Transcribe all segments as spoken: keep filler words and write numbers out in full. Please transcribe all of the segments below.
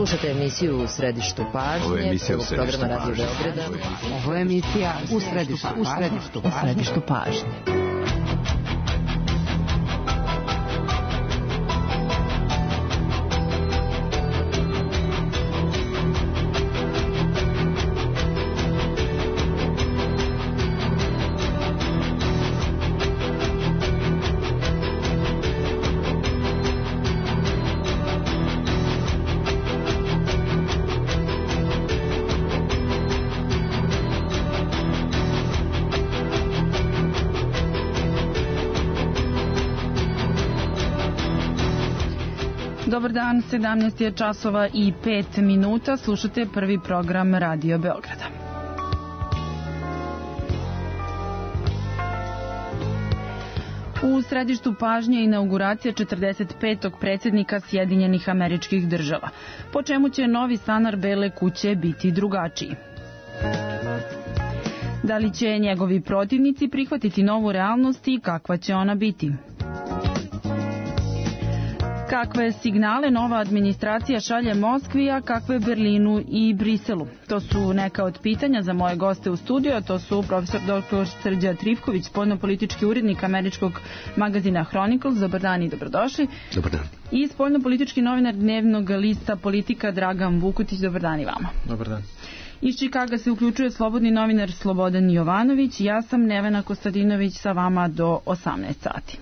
Slušate emisiju U središtu pažnje. Ovo je emisija U središtu programa Radio Beograda. Ovo je emisija U središtu, u središtu, u središtu pažnje. Dobar dan, sedamnaest je časova i pet minuta, slušate prvi program Radio Beograda. U središtu pažnje je inauguracija četrdeset petog predsjednika Sjedinjenih Američkih Država, po čemu će novi stanar Bele kuće biti drugačiji. Da li će njegovi protivnici prihvatiti novu realnost i kakva će ona biti? Kakve signale nova administracija šalje Moskvi, a kakve Berlinu i Briselu? To su neka od pitanja za moje goste u studiju, a to su profesor doktor Srđan Trifković, spoljnopolitički urednik američkog magazina Chronicles. Dobar dan i dobrodošli. Dobar dan. I spoljnopolitički novinar dnevnog lista Politika Dragan Vukutić. Dobar dan i vama. Dobar dan. Iz Čikaga se uključuje slobodni novinar Slobodan Jovanović. Ja sam Nevena Kostadinović, sa vama do osamnaest sati.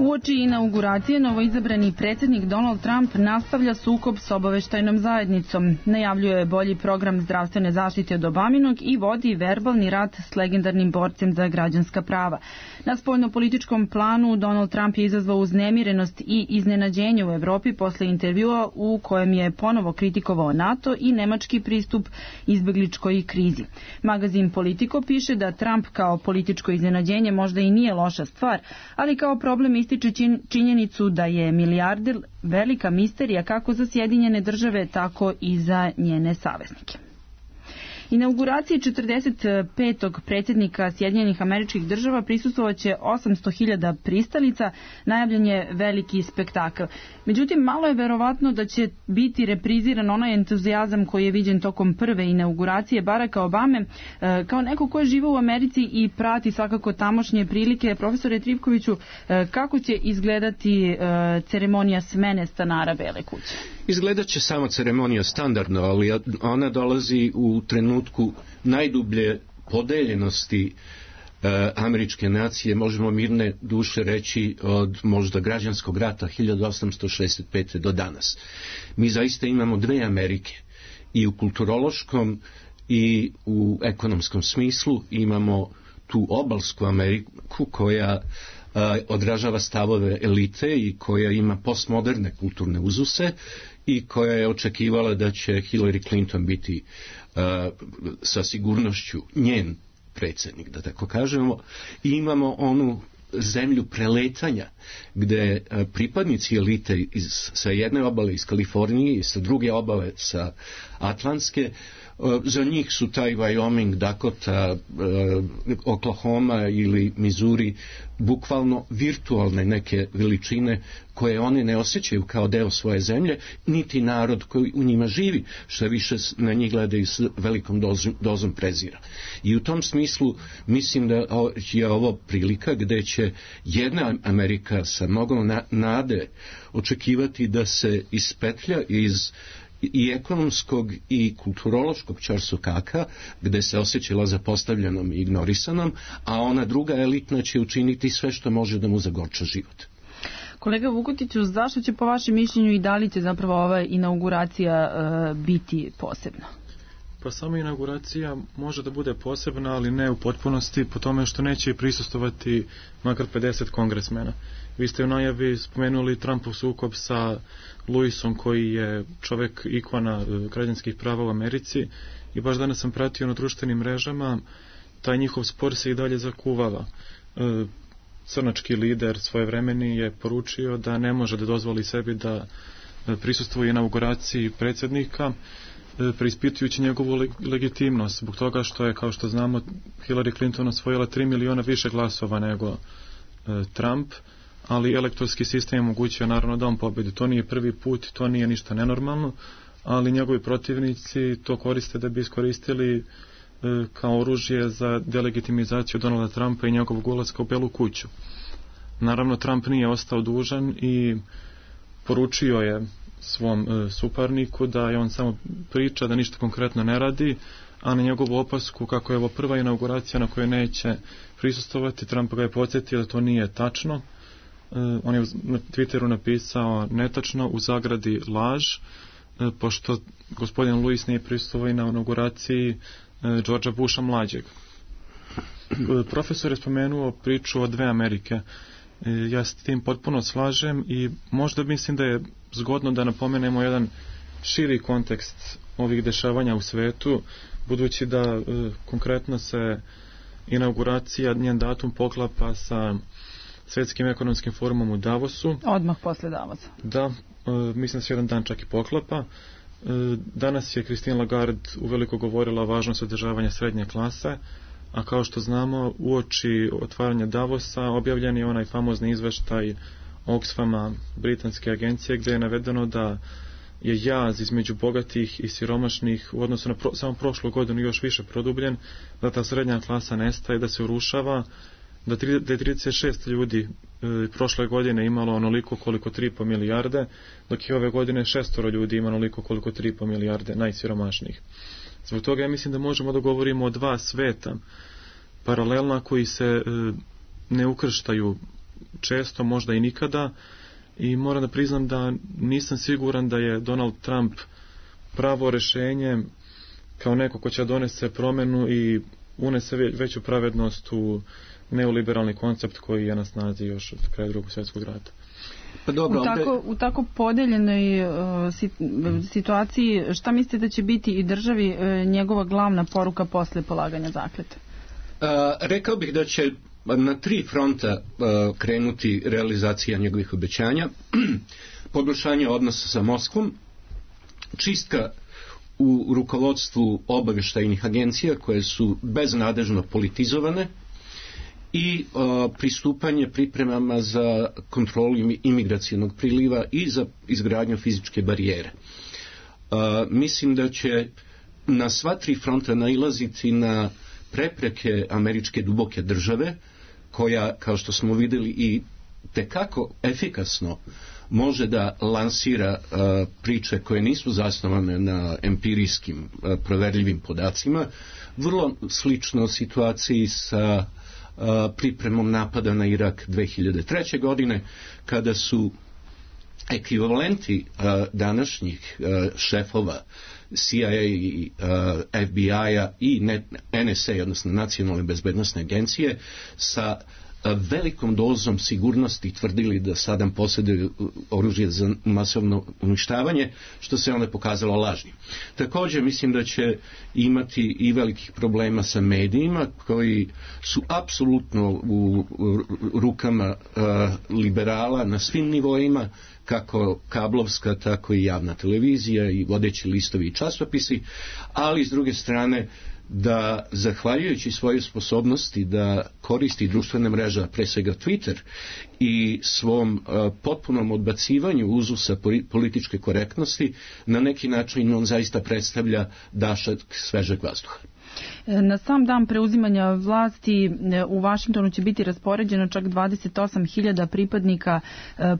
Uoči inauguracije novoizabrani predsjednik Donald Trump nastavlja sukob s obaveštajnom zajednicom, najavljuje bolji program zdravstvene zaštite od Obaminog i vodi verbalni rat s legendarnim borcem za građanska prava. Na spoljnopolitičkom planu Donald Trump je izazvao uznemirenost i iznenađenje u Evropi posle intervjua u kojem je ponovo kritikovao NATO i nemački pristup izbegličkoj krizi. Magazin Politico piše da Trump kao političko iznenađenje možda i nije loša stvar, ali kao problem ističe činjenicu da je milijarder velika misterija kako za Sjedinjene države, tako i za njene saveznike. Inauguraciji četrdeset petog predsjednika Sjedinjenih Američkih Država prisustvovaće osamsto hiljada pristalica, najavljen je veliki spektakl. Međutim, malo je verovatno da će biti repriziran onaj entuzijazam koji je viđen tokom prve inauguracije Baracka Obame. Kao neko ko je živao u Americi i prati svakako tamošnje prilike, profesore Trifkoviću, kako će izgledati ceremonija smene stanara Bele kuće? Izgledat će samo ceremonija standardno, ali ona dolazi u trenutku najdublje podeljenosti e, američke nacije, možemo mirne duše reći, od možda građanskog rata hiljadu osamsto šezdeset pete do danas. Mi zaista imamo dve Amerike, i u kulturološkom i u ekonomskom smislu. Imamo tu obalsku Ameriku koja odražava stavove elite i koja ima postmoderne kulturne uzuse i koja je očekivala da će Hillary Clinton biti uh, sa sigurnošću njen predsjednik, da tako kažemo. I imamo onu zemlju preletanja gde uh, pripadnici elite iz, sa jedne obale iz Kalifornije i sa druge obale sa Atlantske, za njih su taj Wyoming, Dakota, Oklahoma ili Missouri bukvalno virtualne neke veličine koje oni ne osjećaju kao deo svoje zemlje, niti narod koji u njima živi, što više na njih gledaju s velikom dozom, dozom prezira. I u tom smislu mislim da je ovo prilika gde će jedna Amerika sa mnogo nade očekivati da se ispetlja iz i ekonomskog i kulturološkog ćorsokaka, gde se osjećala zapostavljenom i ignorisanom, a ona druga elitna će učiniti sve što može da mu zagorča život. Kolega Vukutiću, zašto će po vašem mišljenju i da li će zapravo ova inauguracija uh, biti posebna? Pa sama inauguracija može da bude posebna, ali ne u potpunosti, po tome što neće prisustovati makar pedeset kongresmena. Vi ste u najavi spomenuli Trumpov sukob sa Lewisom, koji je čovek ikona građanskih prava u Americi, i baš danas sam pratio na društvenim mrežama, taj njihov spor se i dalje zakuvava. Crnački lider svojevremeni je poručio da ne može da dozvoli sebi da prisustvuje inauguraciji predsjednika, preispitujući njegovu legitimnost, zbog toga što je, kao što znamo, Hillary Clinton osvojila tri miliona više glasova nego Trump, ali elektorski sistem je omogućio naravno da on pobedi. To nije prvi put, to nije ništa nenormalno, ali njegovi protivnici to koriste da bi iskoristili kao oružje za delegitimizaciju Donalda Trumpa i njegovog ulaska u Belu kuću. Naravno, Trump nije ostao dužan i poručio je svom e, suparniku da je on samo priča, da ništa konkretno ne radi, a na njegovu opasku kako je ovo prva inauguracija na kojoj neće prisustovati, Trump ga je podsjetio da to nije tačno. E, on je na Twitteru napisao netačno, u zagradi laž, e, pošto gospodin Lewis nije prisustovao na inauguraciji e, Georgea Busha mlađeg. E, profesor je spomenuo priču o dve Amerike. Ja s tim potpuno slažem i možda mislim da je zgodno da napomenemo jedan širi kontekst ovih dešavanja u svetu, budući da e, konkretno se inauguracija, njen datum poklapa sa Svetskim ekonomskim forumom u Davosu. Odmah posle Davosa. Da, e, mislim da se jedan dan čak i poklapa. E, danas je Christine Lagarde uveliko govorila o važnosti održavanja srednje klase, a kao što znamo, uoči otvaranja Davosa objavljen je onaj famozni izveštaj Oxfama, britanske agencije, gdje je navedeno da je jaz između bogatih i siromašnih u odnosu na pro, samo prošlu godinu još više produbljen, da ta srednja klasa nestaje, da se urušava, da, tri, da je trideset šest ljudi e, prošle godine imalo onoliko koliko tri i po milijarde, dok je ove godine šestoro ljudi ima onoliko koliko tri i po milijarde najsiromašnijih. Zbog toga ja mislim da možemo da govorimo o dva sveta paralelna koji se e, ne ukrštaju često, možda i nikada, i moram da priznam da nisam siguran da je Donald Trump pravo rešenje kao neko ko će donese promenu i unese veću pravednost u neoliberalni koncept koji je na snazi još od kraja Drugog svjetskog rata. Pa dobro, u, tako, u tako podeljenoj uh, situaciji, šta mislite da će biti i državi uh, njegova glavna poruka posle polaganja zakljete? Uh, rekao bih da će na tri fronta uh, krenuti realizacija njegovih obećanja. Poboljšanje odnosa sa Moskvom, čistka u rukovodstvu obavještajnih agencija koje su beznadežno politizovane i uh, pristupanje pripremama za kontrolu imigracijonog priliva i za izgradnju fizičke barijere. Uh, mislim da će na sva tri fronta nailaziti na prepreke američke duboke države, koja, kao što smo vidjeli, i tekako efikasno može da lansira uh, priče koje nisu zasnovane na empirijskim uh, proverljivim podacima, vrlo slično situaciji sa uh, pripremom napada na Irak dve hiljade treće. godine, kada su ekvivalenti uh, današnjih uh, šefova C I A i uh, F B I-a i N S A, odnosno Nacionalne bezbednosne agencije, sa uh, velikom dozom sigurnosti tvrdili da Saddam posjeduje oružje za masovno uništavanje, što se onda pokazalo lažnim. Također mislim da će imati i velikih problema sa medijima koji su apsolutno u rukama uh, liberala na svim nivoima, kako kablovska, tako i javna televizija i vodeći listovi i časopisi, ali s druge strane da, zahvaljujući svoje sposobnosti da koristi društvene mreže, pre svega Twitter, i svom uh, potpunom odbacivanju uzusa političke korektnosti, na neki način on zaista predstavlja dašak svežeg vazduha. Na sam dan preuzimanja vlasti u Vašingtonu će biti raspoređeno čak dvadeset osam hiljada pripadnika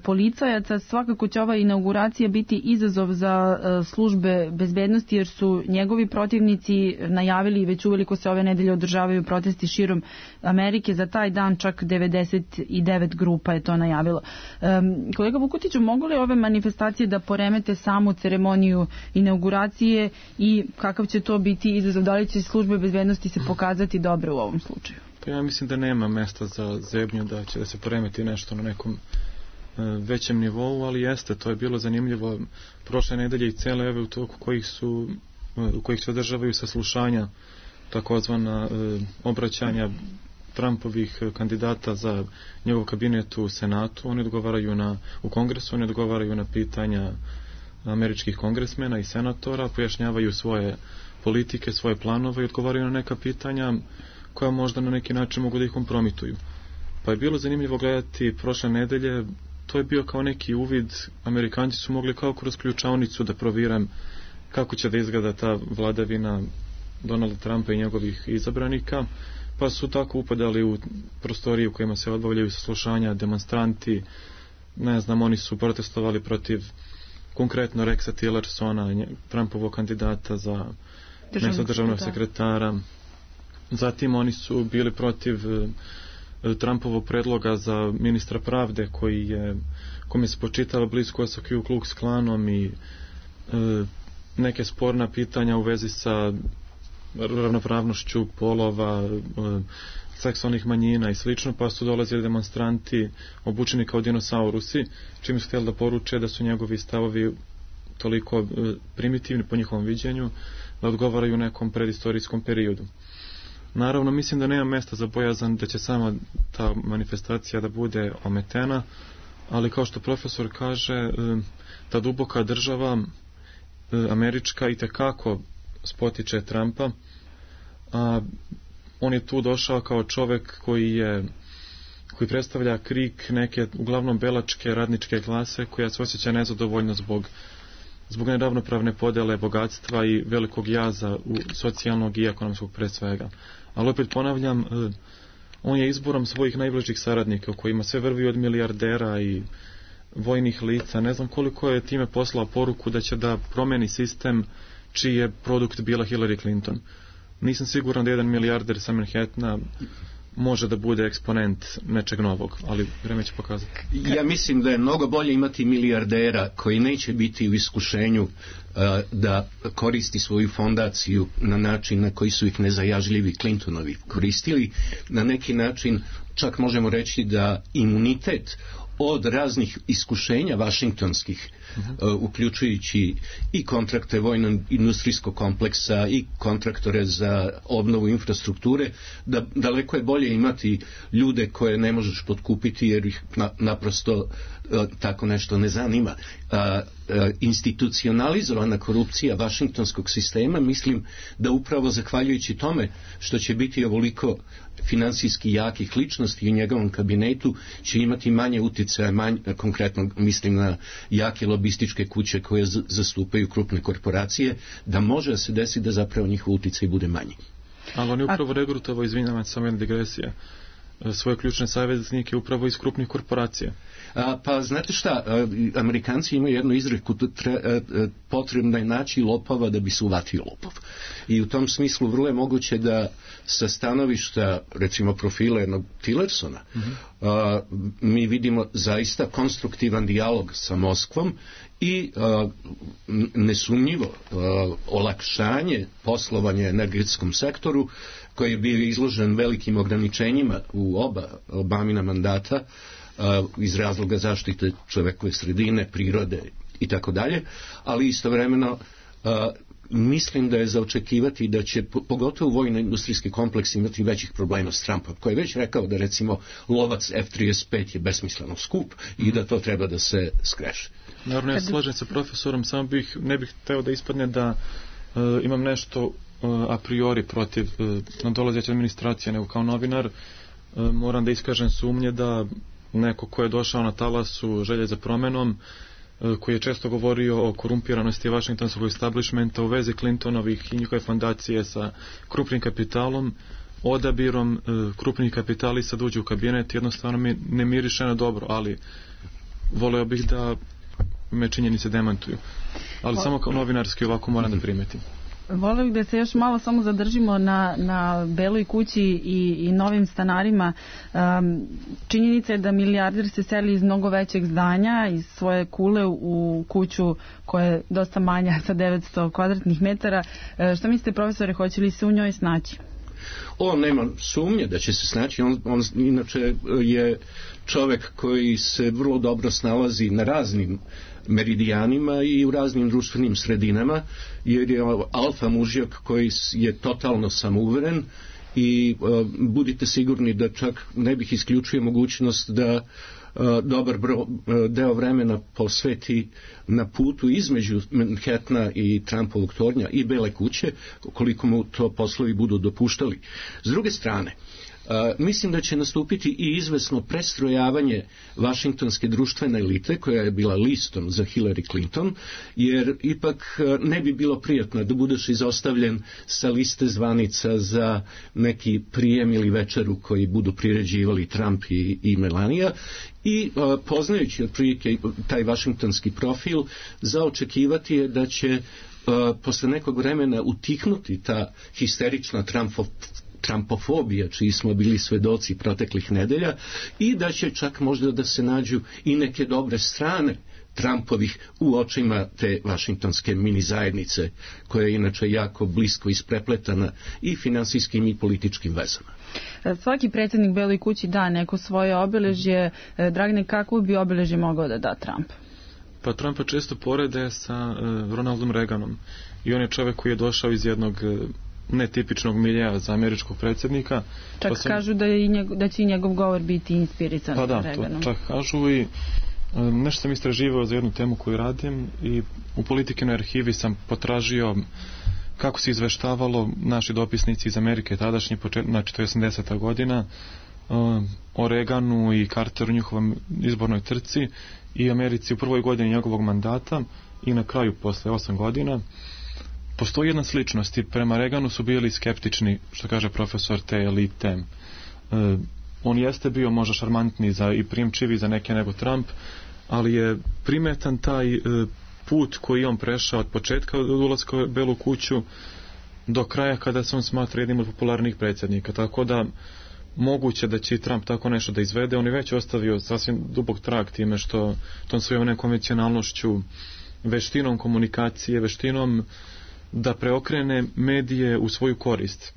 policajaca. Svakako će ova inauguracija biti izazov za službe bezbednosti, jer su njegovi protivnici najavili, već uveliko se ove nedelje održavaju protesti širom Amerike. Za taj dan čak devedeset devet grupa je to najavilo. Kolega Vukutiću, mogu li ove manifestacije da poremete samu ceremoniju inauguracije i kakav će to biti izazov? Da li će službe bezbednosti se pokazati dobro u ovom slučaju? Pa ja mislim da nema mesta za zebnju, da će da se poremeti nešto na nekom e, većem nivou, ali jeste, to je bilo zanimljivo prošle nedelje i cele ove u toku kojih su u kojih se održavaju saslušanja, takozvana e, obraćanja Trumpovih kandidata za njegov kabinet u Senatu. Oni odgovaraju na, u Kongresu, oni odgovaraju na pitanja američkih kongresmena i senatora, pojašnjavaju svoje politike, svoje planove i odgovaraju na neka pitanja koja možda na neki način mogu da ih kompromituju. Pa je bilo zanimljivo gledati prošle nedelje, to je bio kao neki uvid, Amerikanci su mogli kao kroz ključavnicu da proviram kako će da izgleda ta vladavina Donalda Trumpa i njegovih izabranika, pa su tako upadali u prostorije u kojima se odbavljaju saslušanja, demonstranti, ne znam, oni su protestovali protiv konkretno Rexa Tillersona, Trumpovog kandidata za mjesto državnog sekretara. Zatim oni su bili protiv Trumpovog predloga za ministra pravde koji je, kome se počitava blisko sa Ku Klux Klanom i e, neke sporna pitanja u vezi sa ravnopravnošću polova, e, seksualnih manjina i slično, pa su dolazili demonstranti obučeni kao dinosaurusi, čim su htjeli da poruče da su njegovi stavovi toliko e, primitivni po njihovom viđenju da odgovaraju u nekom predistorijskom periodu. Naravno, mislim da nema mesta za bojazan da će sama ta manifestacija da bude ometena, ali kao što profesor kaže, ta duboka država američka itekako spotiče Trumpa, a on je tu došao kao čovek koji je koji predstavlja krik neke uglavnom belačke radničke klase koja se osjeća nezadovoljno zbog zbog neravnopravne podele bogatstva i velikog jaza u socijalnog i ekonomskog pre svega. Ali opet ponavljam, on je izborom svojih najbližih saradnika, u kojima sve vrvi od milijardera i vojnih lica. Ne znam koliko je time poslao poruku da će da promeni sistem čiji je produkt bila Hillary Clinton. Nisam siguran da jedan milijarder sa Manhattana može da bude eksponent nečeg novog, ali vreme će pokazati. Ja mislim da je mnogo bolje imati milijardera koji neće biti u iskušenju uh, da koristi svoju fondaciju na način na koji su ih nezajažljivi Clintonovi koristili. Na neki način čak možemo reći da imunitet od raznih iskušenja vašingtonskih, uh-huh. uh, uključujući i kontrakte vojno-industrijskog kompleksa i kontraktore za obnovu infrastrukture, da daleko je bolje imati ljude koje ne možeš potkupiti jer ih na, naprosto uh, tako nešto ne zanima. Uh, uh, institucionalizovana korupcija vašingtonskog sistema, mislim da upravo zahvaljujući tome što će biti ovoliko finansijski jakih ličnosti u njegovom kabinetu će imati manje utjecaja, manje, konkretno mislim na jake lobističke kuće koje z- zastupaju krupne korporacije, da može se desiti da zapravo njihov utjecaj bude manji. Ali on je upravo regrutovao, izvinjavam se, samo jedna digresija, svoje ključne saveznike upravo iz krupnih korporacija. A, pa znate šta, a, Amerikanci imaju jednu izreku, tre, a, a, potrebno je naći lopova da bi se uvatio lopov. I u tom smislu vrlo je moguće da sa stanovišta, recimo profila jednog Tillersona, mm-hmm. a, mi vidimo zaista konstruktivan dijalog sa Moskvom i a, nesumnjivo a, olakšanje poslovanja energetskom sektoru koji je bio izložen velikim ograničenjima u oba Obamina mandata uh, iz razloga zaštite čovekove sredine, prirode i tako dalje, ali istovremeno uh, mislim da je za očekivati da će pogotovo vojno-industrijski kompleks imati većih problema s Trumpom, koji je već rekao da recimo lovac F trideset pet je besmisleno skup i da to treba da se skreše. Naravno, ja slažem sa profesorom, samo bih, ne bih hteo da ispadne da uh, imam nešto a priori protiv nadolazeće administracije, nego kao novinar moram da iskažem sumnje da neko ko je došao na talasu želje za promenom, koji je često govorio o korumpiranosti vašingtonskog establishmenta u vezi Clintonovih i njihove fondacije sa krupnim kapitalom, odabirom krupnih kapitalista da uđe u kabinet, jednostavno mi ne miriše na dobro, ali voleo bih da me činjenice demantuju. Ali o... samo kao novinarski ovako moram da primetim. Volio bih da se još malo samo zadržimo na, na Beloj kući i, i novim stanarima. Um, činjenica je da milijarder se seli iz mnogo većeg zdanja, iz svoje kule u kuću koja je dosta manja sa devetsto kvadratnih metara. E, šta mislite, profesore, hoće li se u njoj snaći? On nema sumnje da će se snaći, on, on inače je čovek koji se vrlo dobro snalazi na raznim meridijanima i u raznim društvenim sredinama, jer je alfa mužjak koji je totalno samouveren i uh, budite sigurni da čak ne bih isključio mogućnost da dobar bro, deo vremena posveti na putu između Manhattana i Trumpovog tornja i Bele kuće, koliko mu to poslovi budu dopuštali. S druge strane, Uh, mislim da će nastupiti i izvesno prestrojavanje vašingtonske društvene elite koja je bila listom za Hillary Clinton, jer ipak uh, ne bi bilo prijatno da budeš izostavljen sa liste zvanica za neki prijem ili večeru koji budu priređivali Trump i, i Melania, i uh, poznajući otprilike taj vašingtonski profil, za očekivati je da će uh, posle nekog vremena utihnuti ta histerična Trumpov Trumpofobija, čiji smo bili svedoci proteklih nedelja, i da će čak možda da se nađu i neke dobre strane Trumpovih u očima te vašingtonske mini zajednice, koja je inače jako blisko isprepletana i finansijskim i političkim vezama. Svaki predsjednik Beloj kući da neko svoje obeležje. Dragane, kako bi obeležje mogao da da Trump? Pa Trumpa često porede sa uh, Ronaldom Reaganom, i on je čovjek koji je došao iz jednog uh, netipičnog miljeja za američkog predsjednika. Čak pa sam... kažu da, je i njegov, da će i njegov govor biti inspirisan pa da, Reaganom. To čak kažu, i um, nešto sam istraživao za jednu temu koju radim, i u Politikinoj arhivi sam potražio kako se izveštavalo naši dopisnici iz Amerike tadašnji, počet, znači to je osamdeseta godina, um, o Reaganu i Carteru, njihovom izbornoj trci i Americi u prvoj godini njegovog mandata i na kraju posle osam godina. Postoji jedna sličnost, i prema Reaganu su bili skeptični, što kaže profesor, te elite. E, on jeste bio možda šarmantniji za, i primčivi za neke nego Trump, ali je primetan taj e, put koji on prešao od početka od ulaska u Belu kuću do kraja, kada se on smatra jednim od popularnih predsjednika. Tako da moguće da će Trump tako nešto da izvede. On je već ostavio sasvim dubok trag time što tom svojom nekonvencionalnošću, veštinom komunikacije, veštinom da preokrene medije u svoju korist.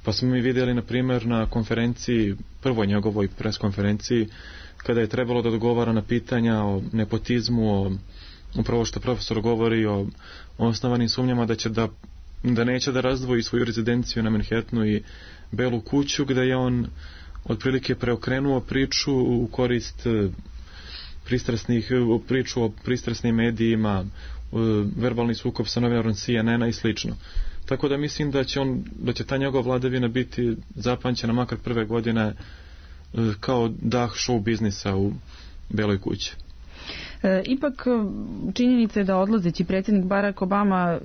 Pa smo mi vidjeli, na primjer, na konferenciji, prvoj njegovoj preskonferenciji, kada je trebalo da odgovara na pitanja o nepotizmu, o upravo što profesor govori o, o osnovanim sumnjama da će da, da neće da razdvoji svoju rezidenciju na Manhattanu i Belu kuću, gde je on otprilike preokrenuo priču u korist pristrasnih, priču o pristrasnim medijima, verbalni sukob sa novinarom C N N-a i slično. Tako da mislim da će on, da će ta njegova vladavina biti zapamćena makar prve godine kao dah show biznisa u Beloj kući. E, ipak činjenica je da odlazeći predsjednik Barack Obama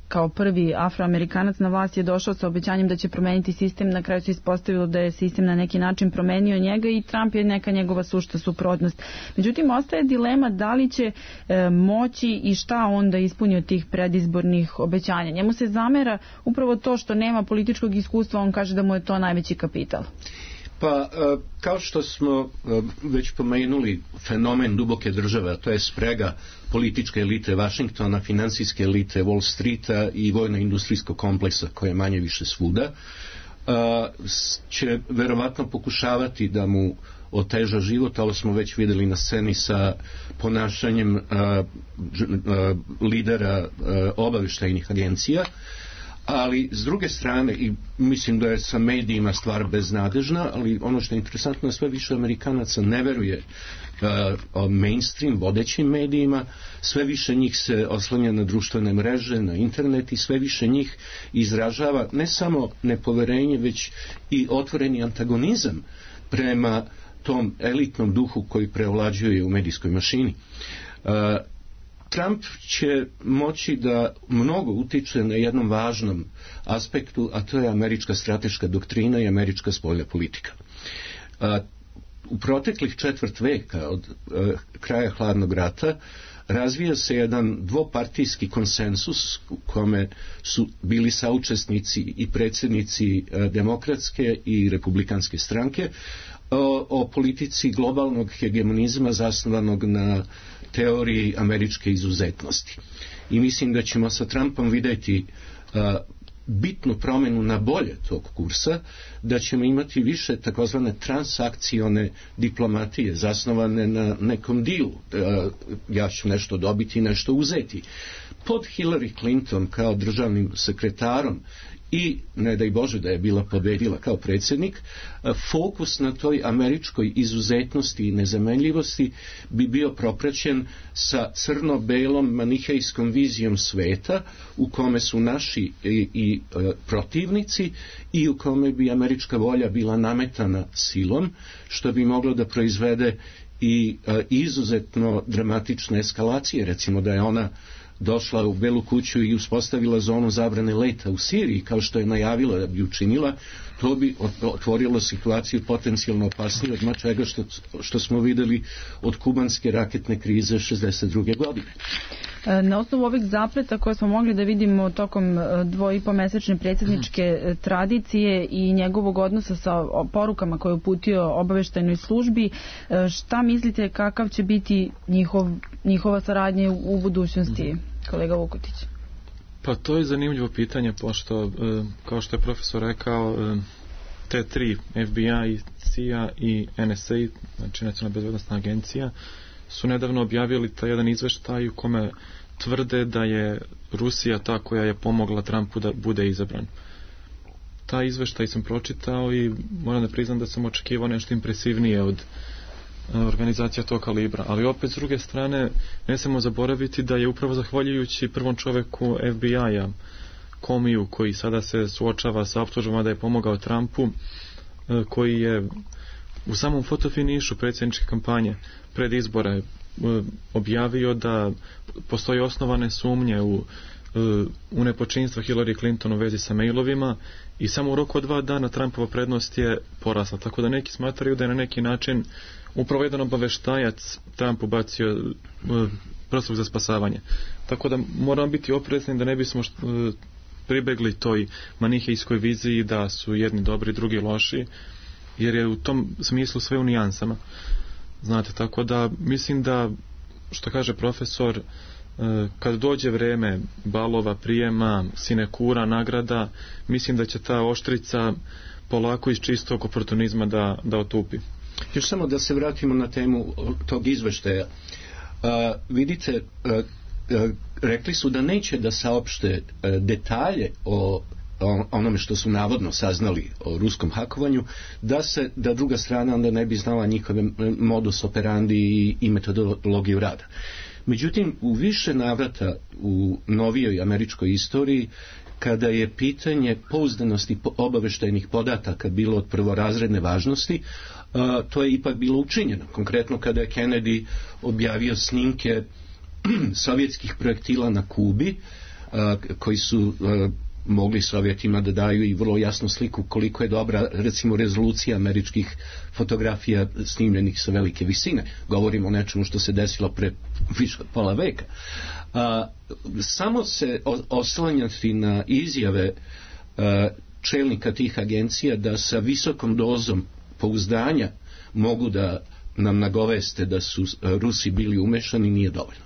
kao prvi afroamerikanac na vlast je došao sa obećanjem da će promeniti sistem. Na kraju se ispostavilo da je sistem na neki način promenio njega i Trump je neka njegova sušta suprotnost. Međutim, ostaje dilema da li će e, moći i šta onda ispunio od tih predizbornih obećanja. Njemu se zamera upravo to što nema političkog iskustva, on kaže da mu je to najveći kapital. Pa, kao što smo već pomenuli, fenomen duboke države, a to je sprega političke elite Vašingtona, finansijske elite Wall Streeta i vojno-industrijskog kompleksa koje je manje više svuda, će verovatno pokušavati da mu oteža život, ali smo već vidjeli na sceni sa ponašanjem lidera obavještajnih agencija. Ali s druge strane, i mislim da je sa medijima stvar beznadežna, ali ono što je interesantno, sve više Amerikanaca ne veruje uh, mainstream vodećim medijima, sve više njih se oslanja na društvene mreže, na internet, i sve više njih izražava ne samo nepoverenje, već i otvoreni antagonizam prema tom elitnom duhu koji preovlađuje u medijskoj mašini. Uh, Trump će moći da mnogo utiče na jednom važnom aspektu, a to je američka strateška doktrina i američka spoljna politika. U proteklih četvrt veka od kraja hladnog rata razvija se jedan dvopartijski konsensus u kome su bili saučesnici i predsjednici demokratske i republikanske stranke o, o politici globalnog hegemonizma zasnovanog na teoriji američke izuzetnosti. I mislim da ćemo sa Trumpom vidjeti uh, bitnu promjenu na bolje tog kursa, da ćemo imati više takozvane transakcione diplomatije zasnovane na nekom dilu. Uh, ja ću nešto dobiti i nešto uzeti. Pod Hillary Clinton kao državnim sekretarom i ne daj Bože da je bila pobedila kao predsjednik, fokus na toj američkoj izuzetnosti i nezamenljivosti bi bio propraćen sa crno-belom manihejskom vizijom sveta u kome su naši i, i protivnici i u kome bi američka volja bila nametana silom, što bi moglo da proizvede i e, izuzetno dramatične eskalacije, recimo da je ona došla u Belu kuću i uspostavila zonu zabrane leta u Siriji, kao što je najavila da bi učinila, to bi otvorilo situaciju potencijalno opasnije od čega što, što smo vidjeli od kubanske raketne krize šezdeset druge godine. Na osnovu ovih zapleta koje smo mogli da vidimo tokom dvoipomesečne predsjedničke tradicije i njegovog odnosa sa porukama koje je uputio obaveštajnoj službi, šta mislite kakav će biti njihov, njihova saradnja u budućnosti, kolega Vukutić? Pa to je zanimljivo pitanje, pošto, kao što je profesor rekao, te tri, F B I, C I A i N S A, znači Nacionalna bezbednosna agencija, su nedavno objavili taj jedan izveštaj u kome tvrde da je Rusija ta koja je pomogla Trumpu da bude izabran. Taj izveštaj sam pročitao i moram da priznam da sam očekivao nešto impresivnije od organizacija tog kalibra, ali opet s druge strane ne smemo zaboraviti da je upravo zahvaljujući prvom čoveku F B I-a, Comeyju, koji sada se suočava sa optužbama da je pomogao Trumpu, koji je u samom fotofinišu predsjedničke kampanje pred izbore objavio da postoji osnovane sumnje u, u nepočinstva Hillary Clinton u vezi sa mailovima i samo u roku od dva dana Trumpova prednost je porasla, tako da neki smatraju da je na neki način upravo jedan obaveštajac Trump ubacio proslug za spasavanje. Tako da moramo biti oprezni da ne bismo što, pribegli toj manihejskoj viziji da su jedni dobri, drugi loši, jer je u tom smislu sve u nijansama. Znate, tako da mislim da, što kaže profesor, kad dođe vreme balova, prijema, sinekura, nagrada, mislim da će ta oštrica polako iz čistog oportunizma da, da otupi. Još samo da se vratimo na temu tog izveštaja. A, vidite, a, a, rekli su da neće da saopšte a, detalje o onome što su navodno saznali o ruskom hakovanju, da se, da druga strana onda ne bi znala njihove modus operandi i, i metodologiju rada. Međutim, u više navrata u novijoj američkoj istoriji, kada je pitanje pouzdanosti obaveštajnih podataka bilo od prvorazredne važnosti, a, to je ipak bilo učinjeno. Konkretno kada je Kennedy objavio snimke sovjetskih projektila na Kubi, a, koji su a, mogli Sovjetima da daju i vrlo jasnu sliku koliko je dobra, recimo, rezolucija američkih fotografija snimljenih sa velike visine. Govorimo o nečemu što se desilo pre više od pola veka. A, samo se oslanjati na izjave a, čelnika tih agencija da sa visokom dozom pouzdanja mogu da nam nagoveste da su Rusi bili umešani nije dovoljno.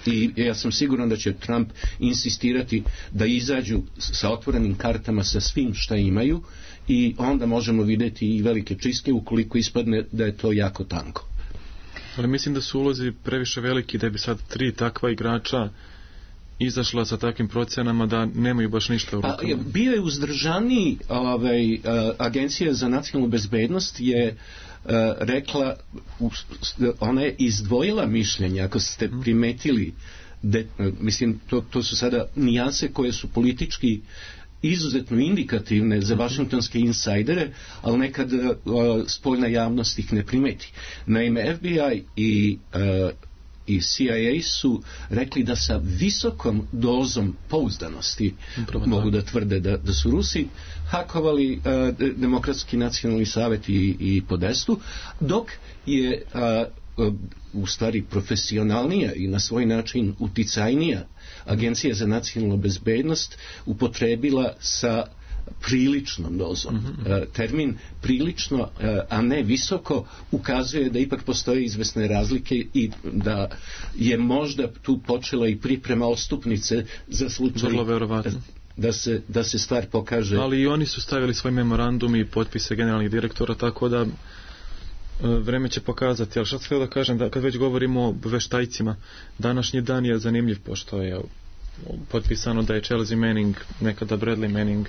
I ja sam siguran da će Trump insistirati da izađu sa otvorenim kartama sa svim šta imaju i onda možemo vidjeti i velike čistke ukoliko ispadne da je to jako tanko. Ali mislim da su ulozi previše veliki da bi sad tri takva igrača izašla sa takvim procenama da nemaju baš ništa u rukama. Pa, bio je uzdržaniji ovaj, Agencija za nacionalnu bezbednost je Uh, rekla, ona je izdvojila mišljenje, ako ste primetili, de, mislim, to, to su sada nijanse koje su politički izuzetno indikativne za vašingtonske insajdere, ali nekad uh, spoljna javnost ih ne primeti. Naime, F B I i uh, i C I A su rekli da sa visokom dozom pouzdanosti Upravo mogu da tvrde da, da su Rusi hakovali uh, Demokratski nacionalni savjet i, i Podestu, dok je uh, uh, u stvari profesionalnija i na svoj način uticajnija Agencija za nacionalnu bezbednost upotrebila sa priličnom dozom. Mm-hmm. E, termin prilično, e, a ne visoko, ukazuje da ipak postoje izvesne razlike i da je možda tu počela i priprema ostupnice za slučaj da se, da se stvar pokaže. Ali i oni su stavili svoj memorandum i potpise generalnih direktora, tako da vreme će pokazati. Ali šta sam htio da kažem, da kad već govorimo o veštajcima, današnji dan je zanimljiv, pošto je potpisano da je Chelsea Manning, nekada Bradley Manning,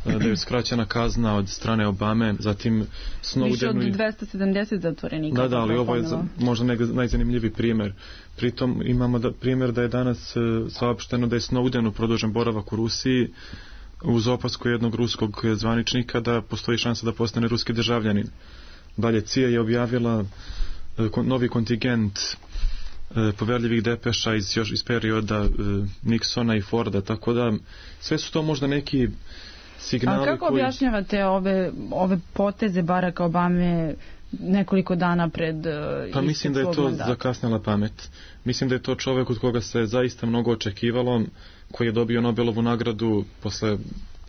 da je skraćena kazna od strane Obame, zatim Snowdenu... Više od dvesta sedamdeset zatvorenika. Da, da, ali ovo je možda najzanimljiviji primjer. Pritom imamo da, primjer da je danas saopšteno da je Snowdenu produžen boravak u Rusiji uz opasku jednog ruskog zvaničnika da postoji šansa da postane ruski državljanin. Dalje, C I A je objavila novi kontingent poverljivih depeša iz, još iz perioda Nixona i Forda, tako da sve su to možda neki signali. A kako koji... objašnjavate ove, ove poteze Baracka Obame nekoliko dana pred uh, pa mislim da je to mandata. Zakasnila pamet. Mislim da je to čovjek od koga se zaista mnogo očekivalo, koji je dobio Nobelovu nagradu posle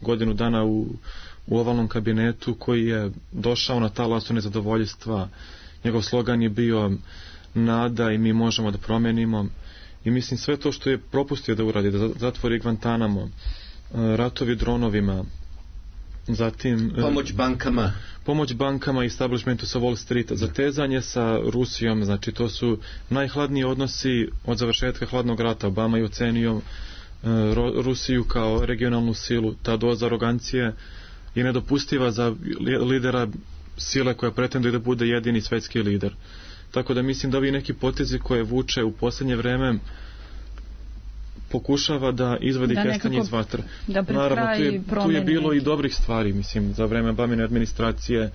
godinu dana u, u ovalnom kabinetu, koji je došao na talasu nezadovoljstva. Njegov slogan je bio nada i mi možemo da promenimo, i mislim sve to što je propustio da uradi, da zatvori Guantanamo, ratovi dronovima, zatim pomoć bankama pomoć bankama i establishmentu sa Wall Streeta, zatezanje sa Rusijom, znači to su najhladniji odnosi od završetka hladnog rata. Obama je ocenio Rusiju kao regionalnu silu. Ta doza arogancije je nedopustiva za lidera sile koja pretenduje da bude jedini svetski lider. Tako da mislim da ovi neki potezi koje vuče u posljednje vreme pokušava da izvadi da kestenje iz vatre. Naravno, tu je, tu je bilo i dobrih stvari, mislim, za vreme Obamine administracije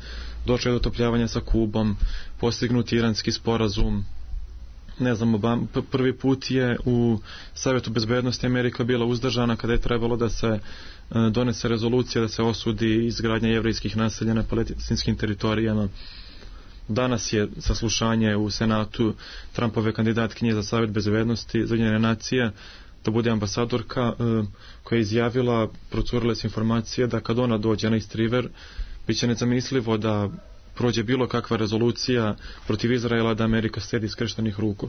došlo je do otopljavanja sa Kubom, postignut iranski sporazum. Ne znam, Obama, prvi put je u Savjetu bezbednosti Amerika bila uzdržana kada je trebalo da se donese rezolucija da se osudi izgradnja jevrejskih naselja na palestinskim teritorijama. Danas je saslušanje u Senatu Trumpove kandidatkinje za Savjet bezbednosti za Ujedinjene nacije da bude ambasadorka, koja je izjavila, procurile se informacije da kad ona dođe na East River bit će nezamislivo da prođe bilo kakva rezolucija protiv Izraela da Amerika sedi skrštenih ruku.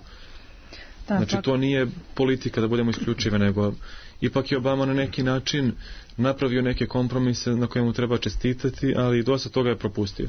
Da, znači, to nije politika da budemo isključive, nego ipak je Obama na neki način napravio neke kompromise na kojemu treba čestitati, ali dosta toga je propustio.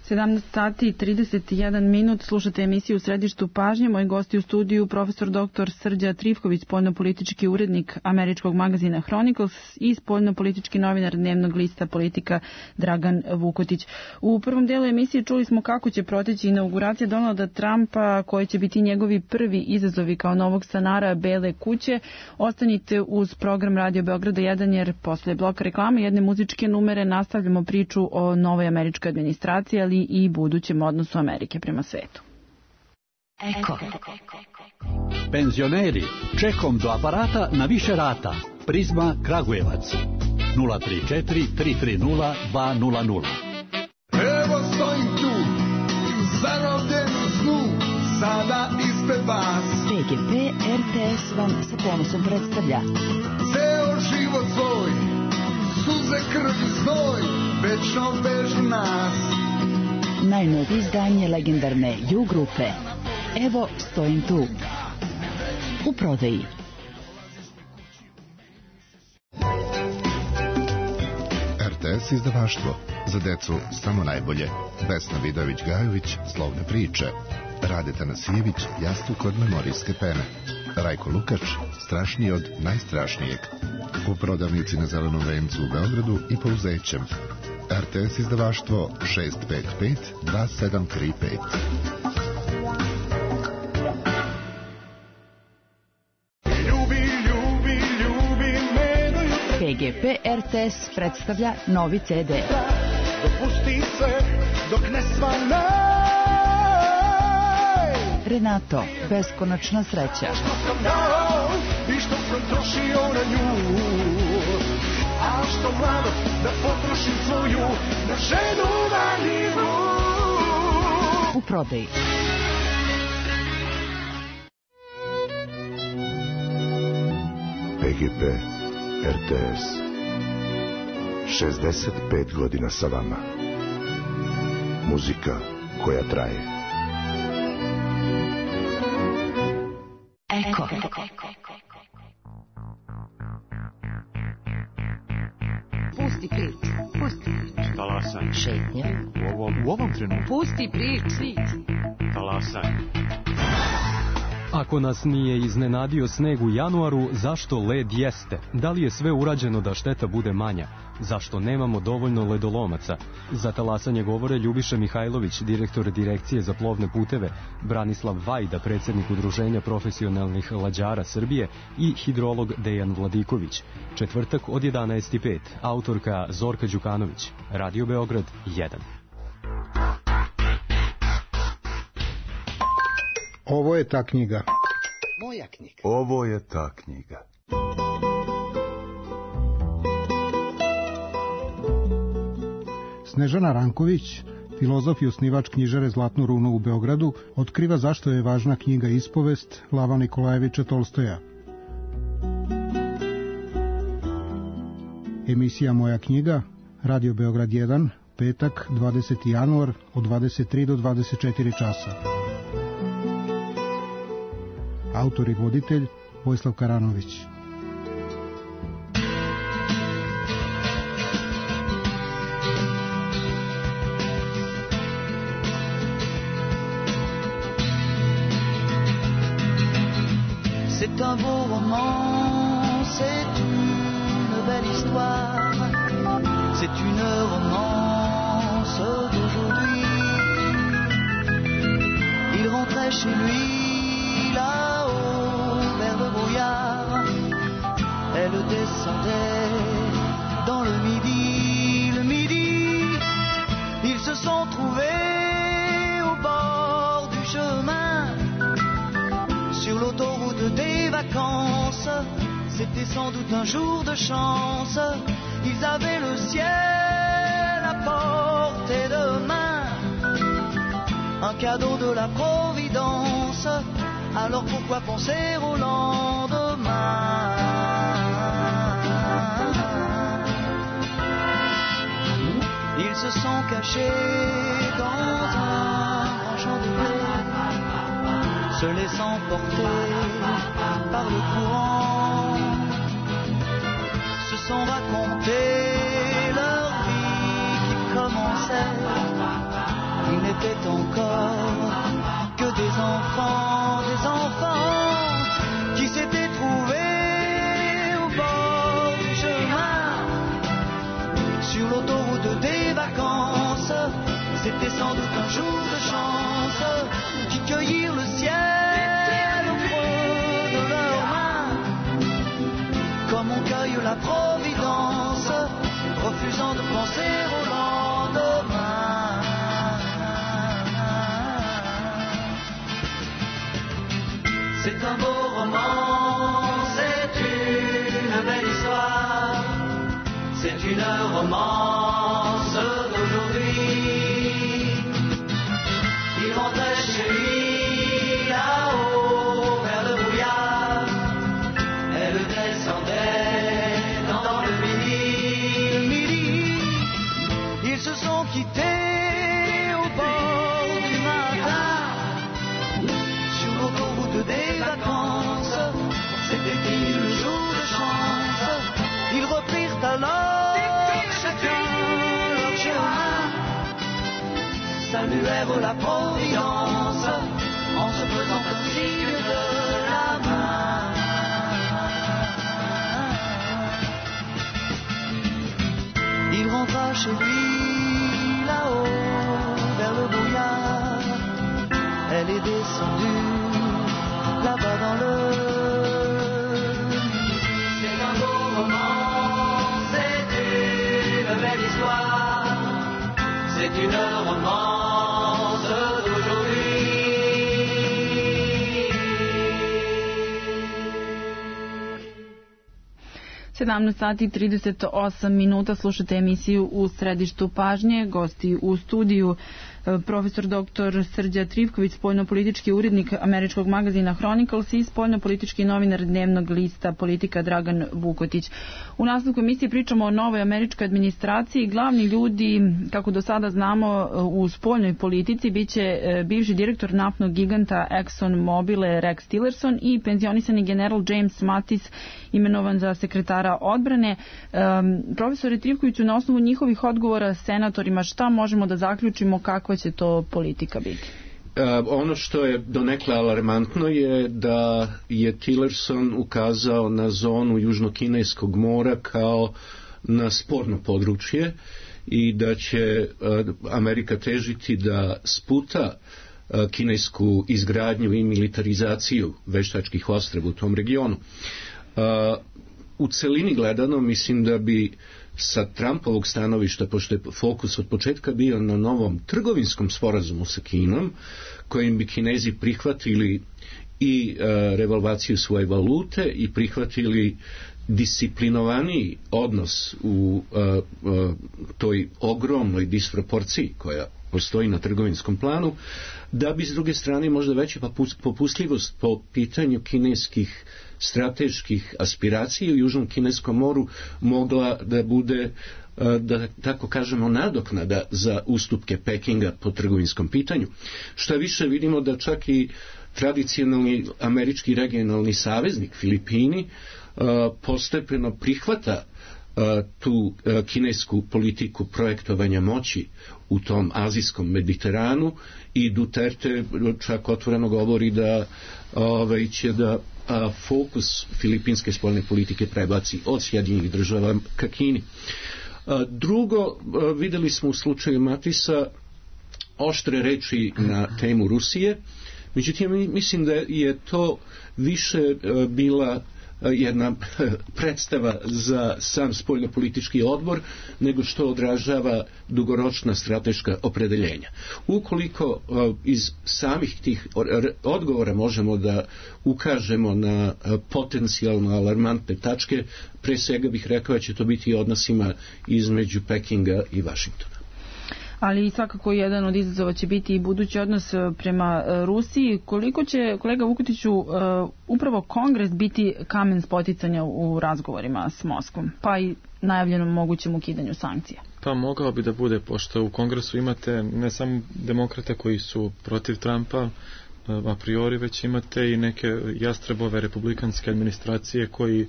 sedamnaest sati i trideset jedan minut, slušate emisiju u Središtu pažnje. Moji gosti u studiju profesor doktor Srđa Trifković, spoljnopolitički urednik američkog magazina Chronicles, i spoljnopolitički novinar dnevnog lista Politika Dragan Vukotić. U prvom delu emisije čuli smo kako će proteći inauguracija Donalda Trumpa, koji će biti njegovi prvi izazovi kao novog stanara Bele kuće. Ostanite uz program Radio Beograda jedan, jer posle bloka reklame jedne muzičke numere nastavljamo priču o novoj američkoj administraciji, ali i budućem odnosu Amerike prema svetu. Eko. Penzioneri, čekom do aparata na više rata. Prizma Kragujevac. nula tri četiri tri tri nula dva nula nula. Evo stojim tu, zarobljen u snu, sada ispred vas. P G P R T S vam sa ponosom predstavlja ceo život svoj, suze, krv i znoj, večno vežu nas. najnovije izdanje legendarne U grupe Evo stojim tu, u prodaji. R T S izdavaštvo, za decu samo najbolje. Vesna Vidović-Gajović, Slovne priče. Rade Tanasijević, Jastuk od memorijske pene. Rajko Lukač, Strašniji od najstrašnijeg. U prodavnici na Zelenom vencu u Beogradu i Pouzećem. R T S izdavaštvo šest pet pet dva sedam tri pet. P G P R T S predstavlja novi C D. Dopusti se dok ne svanaj. Renato, beskonačna sreća. Što sam dao i što sam trošio na nju, a što mlado da potrošim svoju na ženu vanjivu. U prodaji. P G P R T S šezdeset pet godina sa vama. Muzika koja traje. Eko. Pusti prič, pusti prič. Talasaj. Šetnja. U ovom, u ovom trenutku. Pusti prič. Talasaj. Ako nas nije iznenadio sneg u januaru, zašto led jeste? Da li je sve urađeno da šteta bude manja? Zašto nemamo dovoljno ledolomaca? Za talasanje govore Ljubiša Mihajlović, direktor Direkcije za plovne puteve, Branislav Vajda, predsjednik Udruženja profesionalnih lađara Srbije i hidrolog Dejan Vladiković. Četvrtak od jedanaest i pet, autorka Zorka Đukanović, Radio Beograd jedan. Ovo je ta knjiga. Moja knjiga. Ovo je ta knjiga. Snežana Ranković, filozof i osnivač knjižare Zlatnu runu u Beogradu, otkriva zašto je važna knjiga Ispovest Lava Nikolajevića Tolstoja. Emisija Moja knjiga, Radio Beograd jedan, petak, dvadeseti januar, od dvadeset tri do dvadeset četiri časa. Autor i voditelj Vojislav Karanović. C'est un beau roman, c'est une belle histoire, c'est une romance d'aujourd'hui. Il rentrait chez lui là-haut vers le brouillard, elle descendait dans le midi, le midi, ils se sont trouvés au bord du chemin, sur l'autoroute des vacances. C'était sans doute un jour de chance, ils avaient le ciel à portée de main, un cadeau de la Providence. Alors pourquoi penser au lendemain? Ils se sont cachés dans un grand champ de blé, se laissant porter par le courant, se sont racontés leur vie qui commençait. Ils n'étaient encore que des enfants, des enfants qui s'étaient trouvés au bord du chemin, sur l'autoroute des vacances. C'était sans doute un jour de chance, qui cueillirent le ciel au creux de leurs mains, comme on cueille la Providence, refusant de penser au lendemain. C'est un beau roman, c'est une belle histoire, c'est une romance d'aujourd'hui. Il rentrait chez lui là-haut vers le brouillard, elle descendait dans le midi, le midi. Ils se sont quittés au bord du matin, sur l'autoroute des vacances. C'était fini le jour de chance. Ils reprirent alors chacun leur chemin, saluèrent la Providence en se faisant un signe de la main. Il rentra chez lui là-haut vers le brouillard, elle est descendue là-bas dans le... C'est un beau roman, c'est une belle histoire, c'est une romance d'aujourd'hui. sedamnaest sati i trideset osam minuta, slušate emisiju U središtu pažnje. Gosti u studiju profesor doktor Srđa Trivković, spoljnopolitički urednik američkog magazina Chronicles i spoljnopolitički novinar dnevnog lista Politika Dragan Vukotić. U nastavku emisije pričamo o novoj američkoj administraciji. Glavni ljudi, kako do sada znamo, u spoljnoj politici biće bivši direktor naftnog giganta Exxon Mobile Rex Tillerson i penzionisani general James Mattis, imenovan za sekretara odbrane. Um, profesore Trivkoviću, na osnovu njihovih odgovora senatorima, šta možemo da zaključimo, kakva će to politika biti? ono što je donekle alarmantno je da je Tillerson ukazao na zonu Južnokineskog mora kao na sporno područje i da će Amerika težiti da sputa kinesku izgradnju i militarizaciju veštačkih ostrva u tom regionu. U celini gledano mislim da bi sa Trumpovog stanovišta, pošto je fokus od početka bio na novom trgovinskom sporazumu sa Kinom, kojim bi Kinezi prihvatili i e, revalvaciju svoje valute i prihvatili disciplinovaniji odnos u e, e, toj ogromnoj disproporciji koja postoji na trgovinskom planu, da bi s druge strane možda veća popustljivost po pitanju kineskih strateških aspiracija u Južnom Kineskom moru mogla da bude, da tako kažemo, nadoknada za ustupke Pekinga po trgovinskom pitanju. Šta više, vidimo da čak i tradicionalni američki regionalni saveznik Filipini postepeno prihvata tu kinesku politiku projektovanja moći u tom azijskom Mediteranu i Duterte čak otvoreno govori da ovaj, će da a, fokus filipinske spoljne politike prebaci od Sjedinjenih Država ka Kini. A, drugo, a, videli smo u slučaju Matisa oštre reči na temu Rusije, međutim mislim da je to više a, bila jedna predstava za sam spoljnopolitički odbor nego što odražava dugoročna strateška opredeljenja. Ukoliko iz samih tih odgovora možemo da ukažemo na potencijalno alarmantne tačke, pre svega bih rekao da će to biti odnosima između Pekinga i Vašingtona. Ali svakako jedan od izazova će biti i budući odnos prema Rusiji. Koliko će, kolega Vukutiću, upravo Kongres biti kamen spoticanja u razgovorima s Moskvom, pa i najavljenom mogućem ukidanju sankcija? Pa mogao bi da bude, pošto u Kongresu imate ne samo demokrate koji su protiv Trumpa a priori, već imate i neke jastrebove republikanske administracije koji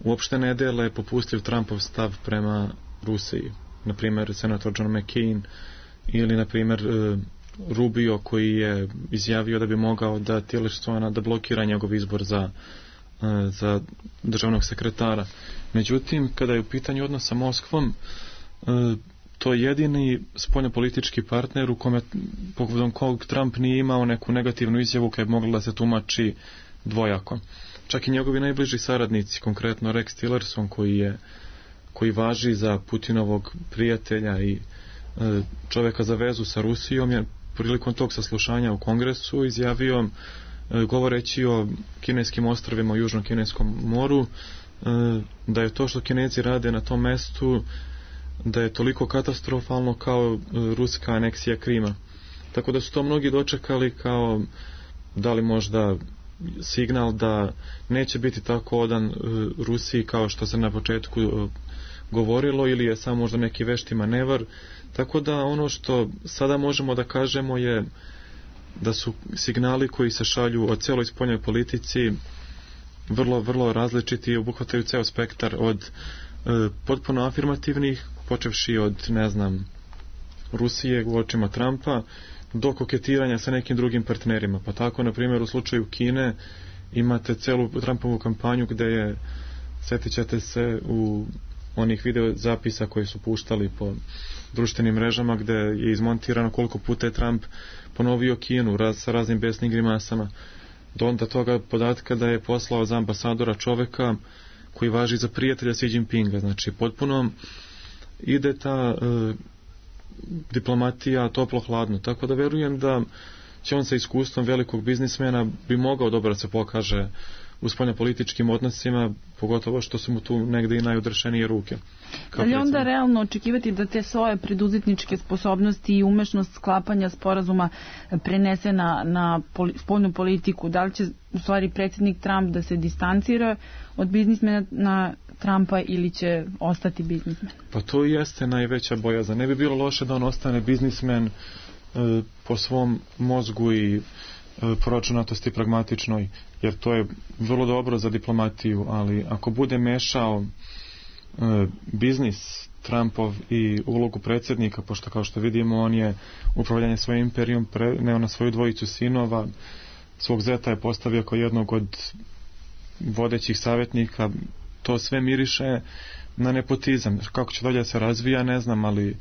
uopšte ne dele popustljiv Trumpov stav prema Rusiji. Na primjer senator John McCain ili na primjer Rubio koji je izjavio da bi mogao da Tillersona da blokira njegov izbor za, za državnog sekretara. Međutim, kada je u pitanju odnos sa Moskvom, to je jedini spoljnopolitički partner u kome povodom kog Trump nije imao neku negativnu izjavu koja je mogla da se tumači dvojako. Čak i njegovi najbliži saradnici, konkretno Rex Tillerson koji je koji važi za Putinovog prijatelja i e, čoveka za vezu sa Rusijom, je prilikom tog saslušanja u Kongresu izjavio, e, govoreći o kineskim ostrvima u Južnom Kineskom moru, e, da je to što Kinezi rade na tom mestu, da je toliko katastrofalno kao e, ruska aneksija Krima. Tako da su to mnogi dočekali kao da li možda signal da neće biti tako odan e, Rusiji kao što se na početku e, govorilo, ili je samo možda neki vešti manevar. Tako da ono što sada možemo da kažemo je da su signali koji se šalju o celoj spoljnoj politici vrlo, vrlo različiti i obuhvataju ceo spektar od e, potpuno afirmativnih, počevši od, ne znam, Rusije u očima Trumpa, do koketiranja sa nekim drugim partnerima. Pa tako, na primjer, u slučaju Kine imate celu Trumpovu kampanju gde je, sjetit ćete se u onih video zapisa koji su puštali po društvenim mrežama gde je izmontirano koliko puta je Trump ponovio Kinu raz, sa raznim besnim grimasama, do onda toga podatka da je poslao za ambasadora čoveka koji važi za prijatelja Xi Jinpinga. Znači potpuno ide ta e, diplomatija toplo-hladno, tako da verujem da će on sa iskustvom velikog biznismena bi mogao dobro da se pokaže u spoljnopolitičkim odnosima, pogotovo što su mu tu negde i najodrešenije ruke. Ali onda realno očekivati da te svoje preduzetničke sposobnosti i umešnost sklapanja sporazuma prenese na, na poli, spoljnu politiku? Da li će u stvari predsjednik Trump da se distancira od biznismena na Trumpa ili će ostati biznismen? Pa to i jeste najveća bojazan. Ne bi bilo loše da on ostane biznismen e, po svom mozgu i proračunatosti pragmatičnoj, jer to je vrlo dobro za diplomatiju, ali ako bude mešao e, biznis Trumpov i ulogu predsjednika, pošto kao što vidimo on je upravljanje svojim imperijom preneo na svoju dvojicu sinova, svog zeta je postavio kao jednog od vodećih savjetnika. To sve miriše na nepotizam. Kako će dalje da se razvija ne znam, ali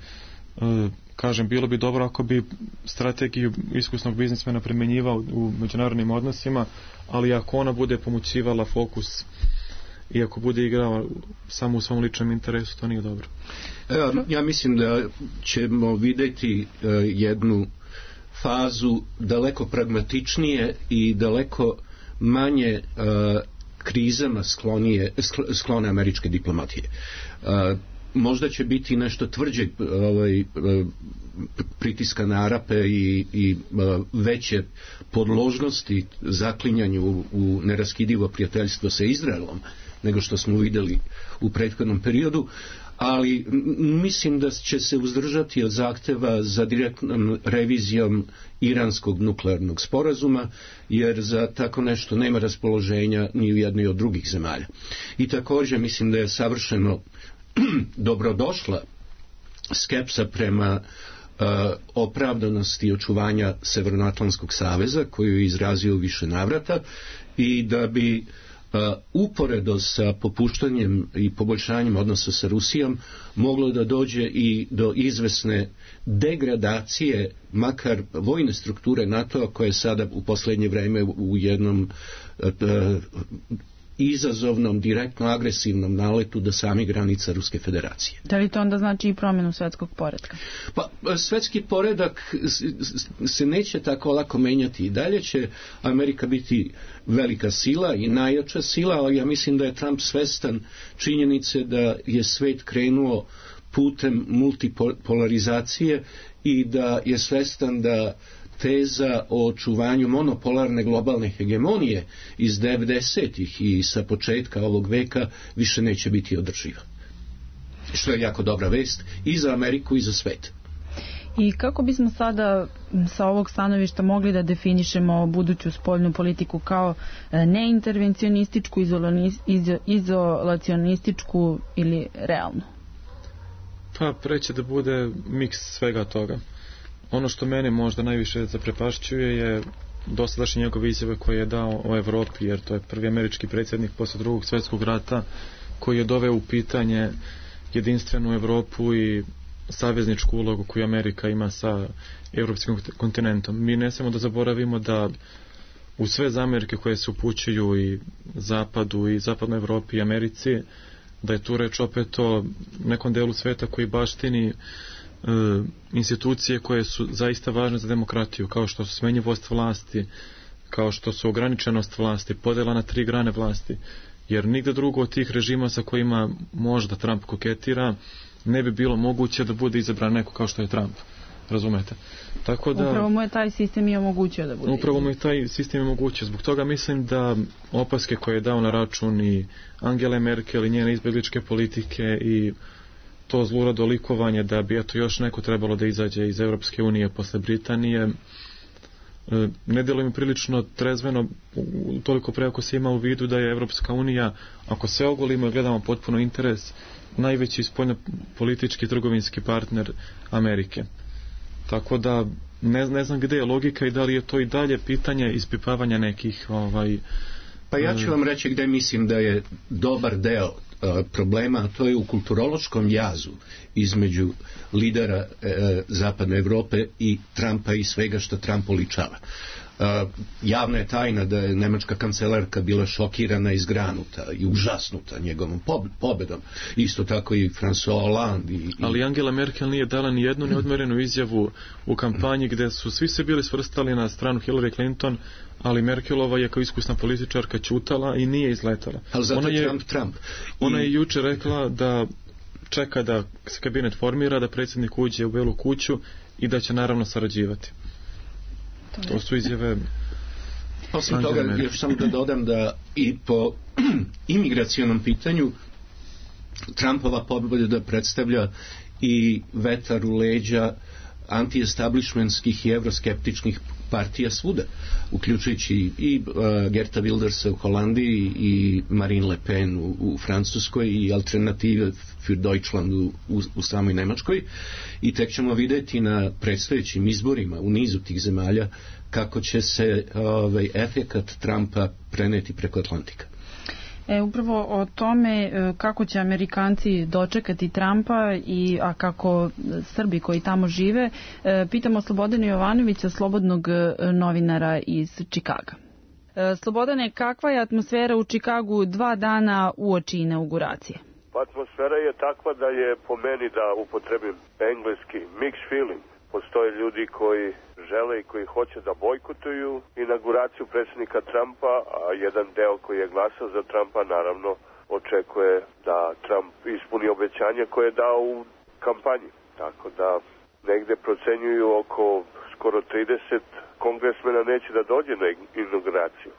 kažem, bilo bi dobro ako bi strategiju iskusnog biznismena primjenjivao u međunarodnim odnosima, ali ako ona bude pomoćivala fokus i ako bude igrao samo u svom ličnom interesu, to nije dobro. Ja mislim da ćemo vidjeti jednu fazu daleko pragmatičnije i daleko manje krizama sklonije, sklone američke diplomatije. Možda će biti nešto tvrđeg ovaj, pritiska na Arape i, i veće podložnosti zaklinjanju u, u neraskidivo prijateljstvo sa Izraelom nego što smo vidjeli u prethodnom periodu, ali mislim da će se uzdržati od zahteva za direktnom revizijom iranskog nuklearnog sporazuma, jer za tako nešto nema raspoloženja ni u jednoj od drugih zemalja. I također mislim da je savršeno dobrodošla skepsa prema uh, opravdanosti očuvanja Severnoatlantskog saveza koju je izrazio u više navrata i da bi uh, uporedo sa popuštanjem i poboljšanjem odnosa sa Rusijom moglo da dođe i do izvesne degradacije makar vojne strukture NATO-a koja je sada u posljednje vrijeme u jednom uh, izazovnom, direktno agresivnom naletu do samih granica Ruske federacije. Da li to onda znači i promjenu svjetskog poretka? Pa, svjetski poredak se neće tako lako menjati. I dalje će Amerika biti velika sila i najjača sila, ali ja mislim da je Trump svestan činjenice da je svijet krenuo putem multipolarizacije i da je svestan da teza o očuvanju monopolarne globalne hegemonije iz devedesetih i sa početka ovog veka više neće biti održiva. Što je jako dobra vest i za Ameriku i za svet. I kako bismo sada sa ovog stanovišta mogli da definišemo buduću spoljnu politiku kao neintervencionističku, izolacionističku ili realnu? Pa preće da bude miks svega toga. Ono što mene možda najviše zaprepašćuje je dosadašnje njegove izjave koje je dao o Evropi, jer to je prvi američki predsjednik posle drugog svjetskog rata koji je doveo u pitanje jedinstvenu Evropu i savezničku ulogu koju Amerika ima sa evropskim kontinentom. Mi ne smemo da zaboravimo da u sve zamerke koje se upućuju i Zapadu i Zapadnoj Evropi i Americi, da je tu reč opet o nekom delu sveta koji baštini E, institucije koje su zaista važne za demokratiju, kao što su smenjivost vlasti, kao što su ograničenost vlasti, podjela na tri grane vlasti, jer nigde drugo od tih režima sa kojima možda Trump koketira ne bi bilo moguće da bude izabran neko kao što je Trump, razumete? Tako da, upravo mu je taj sistem i omogućio da bude upravo mu je taj sistem omogućio, zbog toga mislim da opaske koje je dao na račun i Angele Merkel i njene izbjegličke politike i to zlurado likovanje da bi eto još neko trebalo da izađe iz Europske unije posle Britanije, ne djeluje mi prilično trezveno, toliko pre ako se ima u vidu da je Europska unija, ako se ogolimo i gledamo potpuno interes, najveći spoljnopolitički trgovinski partner Amerike. Tako da ne, ne znam gdje je logika i da li je to i dalje pitanje ispipavanja nekih ovaj, pa ja ću vam reći gdje mislim da je dobar deo problema, a to je u kulturološkom jazu između lidera e, Zapadne Evrope i Trumpa i svega što Trump oličava. E, javna je tajna da je nemačka kancelarka bila šokirana i zgranuta i užasnuta njegovom pobedom. Isto tako i François Hollande. I, i... Ali Angela Merkel nije dala ni jednu neodmerenu izjavu u kampanji gdje su svi se bili svrstali na stranu Hillary Clinton, ali Merkelova je kao iskusna političarka ćutala i nije izletala. Ali zato ona je Trump, Trump. Ona je juče rekla da čeka da se kabinet formira, da predsjednik uđe u Belu kuću i da će naravno sarađivati. To, to su izjave. Osim toga, još samo da dodam da i po imigracionom pitanju Trumpova pobjeda predstavlja i vetar u leđa anti-establishmentskih i evroskeptičnih partija svuda, uključujući i uh, Gerta Wildersa u Holandiji i Marine Le Pen u, u Francuskoj i Alternative für Deutschland u, u, u samoj Nemačkoj, i tek ćemo vidjeti na predstojećim izborima u nizu tih zemalja kako će se ovaj, efekat Trumpa preneti preko Atlantika. E, upravo o tome kako će Amerikanci dočekati Trumpa i a kako Srbi koji tamo žive, pitamo Slobodana Jovanovića, slobodnog novinara iz Čikaga. Slobodane, kakva je atmosfera u Čikagu dva dana uoči inauguracije? Pa atmosfera je takva da je, po meni, da upotrebim engleski, mixed feeling. Postoje ljudi koji žele i koji hoće da bojkotuju inauguraciju predsjednika Trumpa, a jedan deo koji je glasao za Trumpa naravno očekuje da Trump ispuni obećanje koje je dao u kampanji. Tako da negde procenjuju oko skoro trideset kongresmena neće da dođe na inauguraciju.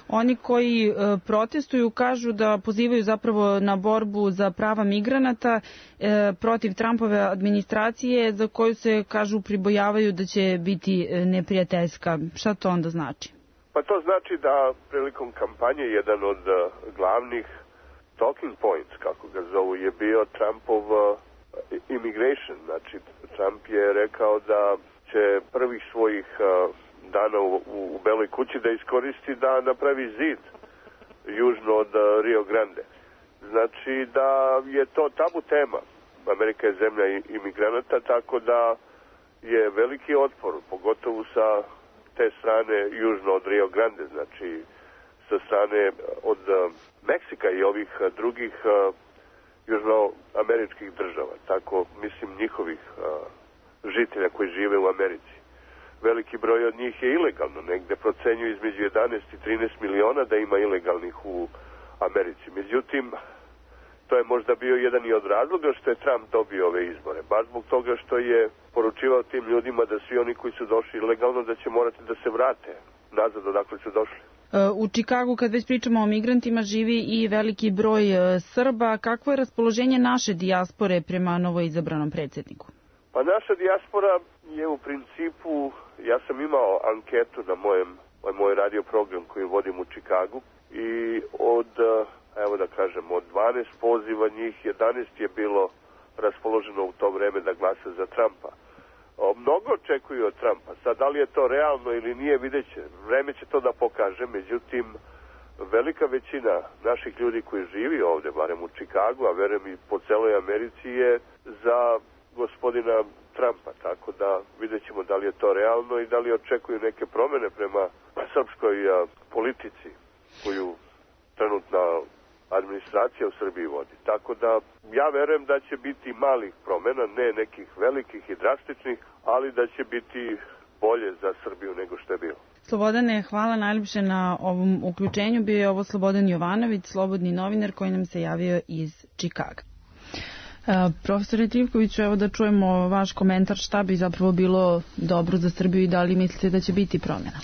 Oni koji e, protestuju kažu da pozivaju zapravo na borbu za prava migranata e, protiv Trumpove administracije, za koju se, kažu, pribojavaju da će biti neprijateljska. Šta to onda znači? Pa to znači da prilikom kampanje jedan od uh, glavnih talking points, kako ga zovu, je bio Trumpov uh, immigration. Znači, Trump je rekao da će prvih svojih uh, dana u, u Beloj kući da iskoristi da napravi zid južno od uh, Rio Grande. Znači da je to tabu tema. Amerika je zemlja imigranata, tako da je veliki otpor, pogotovo sa te strane južno od Rio Grande, znači sa strane od uh, Meksika i ovih uh, drugih uh, južnoameričkih država, tako mislim njihovih uh, žitelja koji žive u Americi. Veliki broj od njih je ilegalno, negde procenjuju između jedanaest i trinaest miliona da ima ilegalnih u Americi. Međutim, to je možda bio jedan i od razloga što je Trump dobio ove izbore. Baš zbog toga što je poručivao tim ljudima da svi oni koji su došli ilegalno da će morati da se vrate nazad odakle su došli. U Čikagu, kad već pričamo o migrantima, živi i veliki broj Srba. Kakvo je raspoloženje naše dijaspore prema novoizabranom predsjedniku? Pa naša dijaspora je u principu, ja sam imao anketu na mojem, moj radio program koji vodim u Čikagu i od, evo da kažem, od dvanaest poziva njih jedanaest je bilo raspoloženo u to vreme da glasa za Trumpa. O, mnogo očekuju od Trumpa. Sad, da li je to realno ili nije, vidjet će. Vreme će to da pokaže, međutim, velika većina naših ljudi koji živi ovde, barem u Čikagu, a verujem i po celoj Americi, je za gospodina Trumpa, tako da vidjet ćemo da li je to realno i da li očekuju neke promene prema srpskoj a, politici koju trenutna administracija u Srbiji vodi. Tako da ja verujem da će biti malih promena, ne nekih velikih i drastičnih, ali da će biti bolje za Srbiju nego što je bilo. Slobodane, hvala najljepše na ovom uključenju. Bio je ovo Slobodan Jovanović, slobodni novinar koji nam se javio iz Čikaga. Uh, profesore Trivkoviću, evo da čujemo vaš komentar, šta bi zapravo bilo dobro za Srbiju i da li mislite da će biti promjena?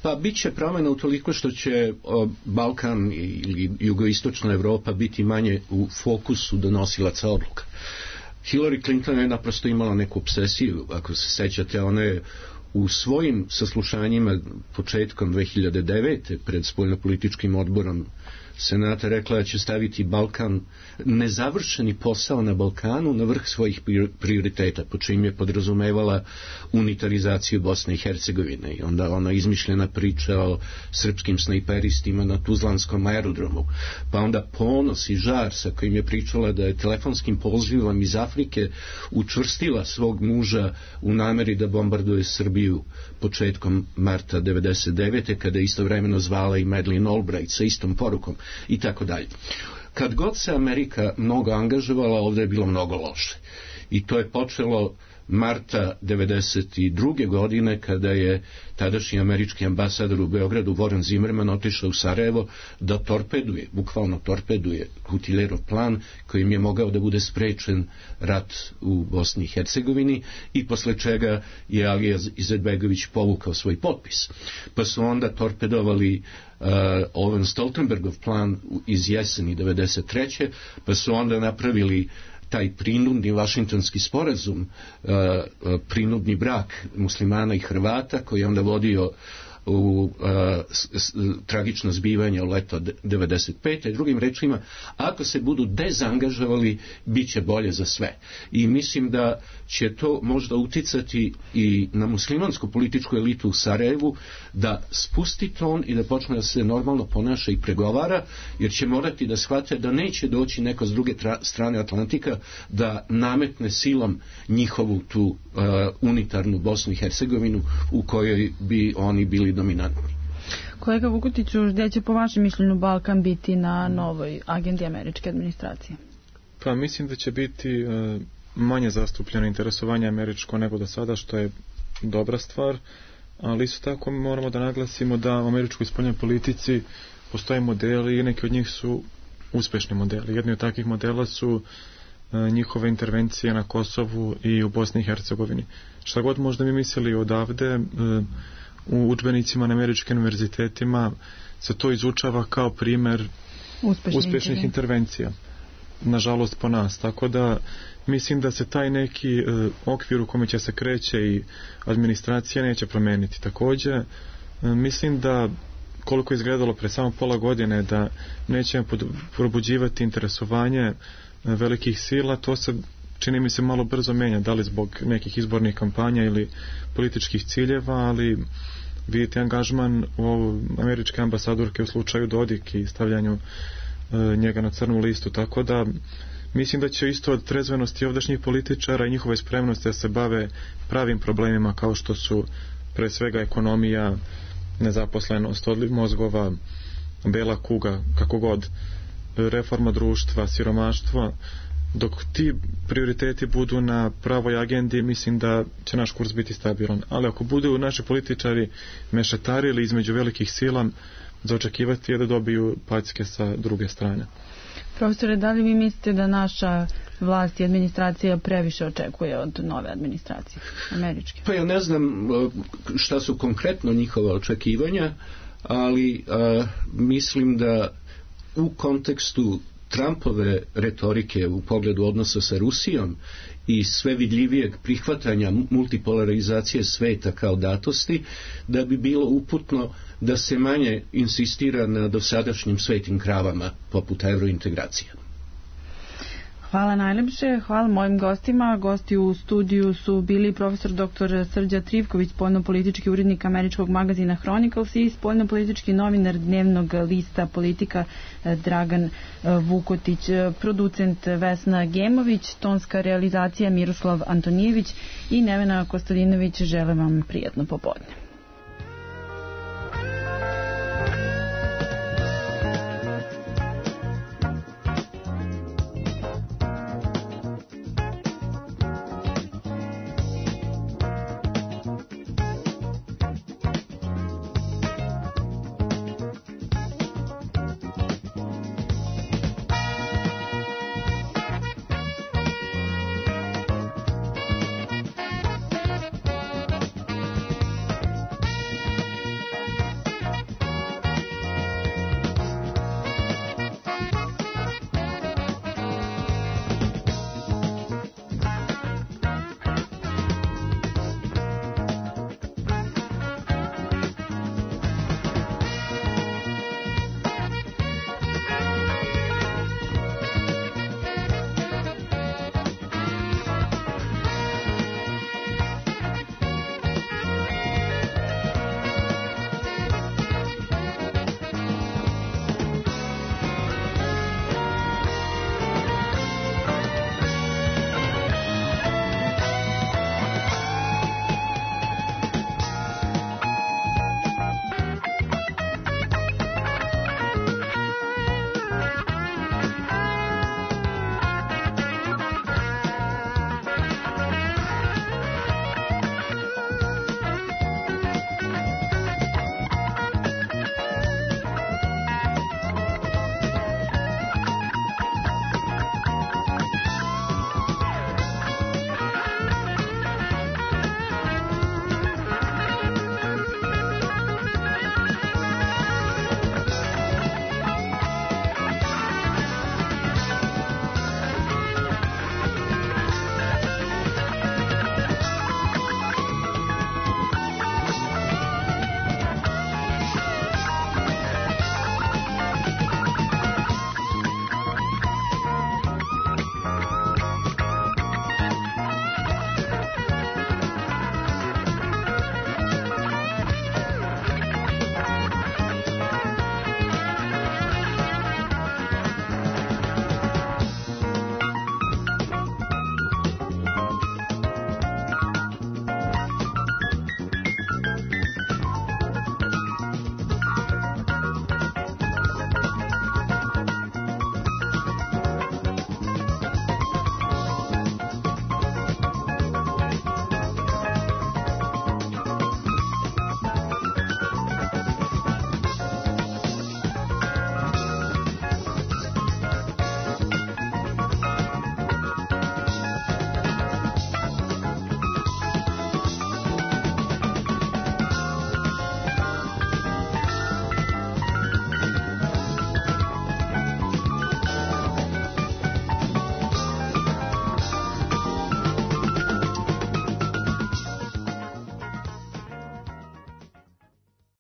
Pa bit će promjena utoliko što će o, Balkan ili jugoistočna Evropa biti manje u fokusu donosilaca odluka. Hillary Clinton je naprosto imala neku obsesiju, ako se sećate, ona je u svojim saslušanjima početkom dve hiljade devete pred spoljnopolitičkim odborom Senata rekla da će staviti Balkan, nezavršeni posao na Balkanu, na vrh svojih prioriteta, po čim je podrazumevala unitarizaciju Bosne i Hercegovine. I onda ona izmišljena priča o srpskim snajperistima na Tuzlanskom aerodromu. Pa onda ponos i žar sa kojim je pričala da je telefonskim pozivom iz Afrike učvrstila svog muža u nameri da bombarduje Srbiju početkom marta devedeset devete kada je istovremeno zvala i Madeleine Albright sa istom porukom i tako dalje. Kad god se Amerika mnogo angažovala, ovdje je bilo mnogo loše. I to je počelo marta devedeset druge godine kada je tadašnji američki ambasador u Beogradu Warren Zimmerman otišao u Sarajevo da torpeduje, bukvalno torpeduje Kutilerov plan kojim je mogao da bude sprečen rat u Bosni i Hercegovini i posle čega je Alija Izetbegović povukao svoj potpis. Pa su onda torpedovali Uh, Owen Stoltenbergov plan iz jeseni devedeset treće pa su onda napravili taj prinudni Vašingtonski sporazum, prinudni brak muslimana i Hrvata koji je onda vodio u a, s, s, tragično zbivanje u leto devedeset pete. Drugim rečima, ako se budu dezangažovali, bit će bolje za sve. I mislim da će to možda uticati i na muslimansku političku elitu u Sarajevu da spusti ton i da počne da se normalno ponaša i pregovara, jer će morati da shvate da neće doći neko s druge tra- strane Atlantika da nametne silom njihovu tu uh, unitarnu Bosnu i Hercegovinu u kojoj bi oni bili dominantni. Kolega Vukutiću, gdje će po vašem mišljenju Balkan biti na novoj agendi američke administracije? Pa mislim da će biti uh, manje zastupljeno interesovanje američko nego do sada, što je dobra stvar, ali isto tako moramo da naglasimo da u američkoj spoljnoj politici postoje modeli i neki od njih su uspešni modeli. Jedni od takvih modela su uh, njihove intervencije na Kosovu i u Bosni i Hercegovini. Šta god možda mi mislili odavde, uh, u udžbenicima na američkim univerzitetima se to izučava kao primer Uspešni uspešnih intervencija. Nažalost po nas. Tako da mislim da se taj neki e, okvir u kome će se kreće i administracija neće promeniti. Takođe, e, mislim da koliko je izgledalo pre samo pola godine da nećemo probuđivati interesovanje e, velikih sila, to se čini mi se malo brzo menja, da li zbog nekih izbornih kampanja ili političkih ciljeva, ali vidite angažman u američke ambasadorke u slučaju Dodik i stavljanju e, njega na crnu listu, tako da mislim da će isto od trezvenosti ovdašnjih političara i njihove spremnosti da se bave pravim problemima kao što su pre svega ekonomija, nezaposlenost, odliv mozgova, bela kuga, kako god, reforma društva, siromaštvo. Dok ti prioriteti budu na pravoj agendi, mislim da će naš kurs biti stabilan. Ali ako budu naši političari mešetarili između velikih sila, za očekivati je da dobiju packe sa druge strane. Profesore, da li vi mislite da naša vlast i administracija previše očekuje od nove administracije američke? Pa ja ne znam šta su konkretno njihova očekivanja, ali a, mislim da u kontekstu Trumpove retorike u pogledu odnosa sa Rusijom i sve vidljivijeg prihvatanja multipolarizacije sveta kao datosti, da bi bilo uputno da se manje insistira na dosadašnjim svetim kravama poput evrointegracija. Hvala najlepše, hvala mojim gostima. Gosti u studiju su bili profesor doktor Srđa Trivković, spoljnopolitički urednik američkog magazina Chronicles, i spoljnopolitički novinar dnevnog lista Politika Dragan Vukotić, producent Vesna Gemović, tonska realizacija Miroslav Antonijević i Nevena Kostadinović. Želim vam prijatno popodne.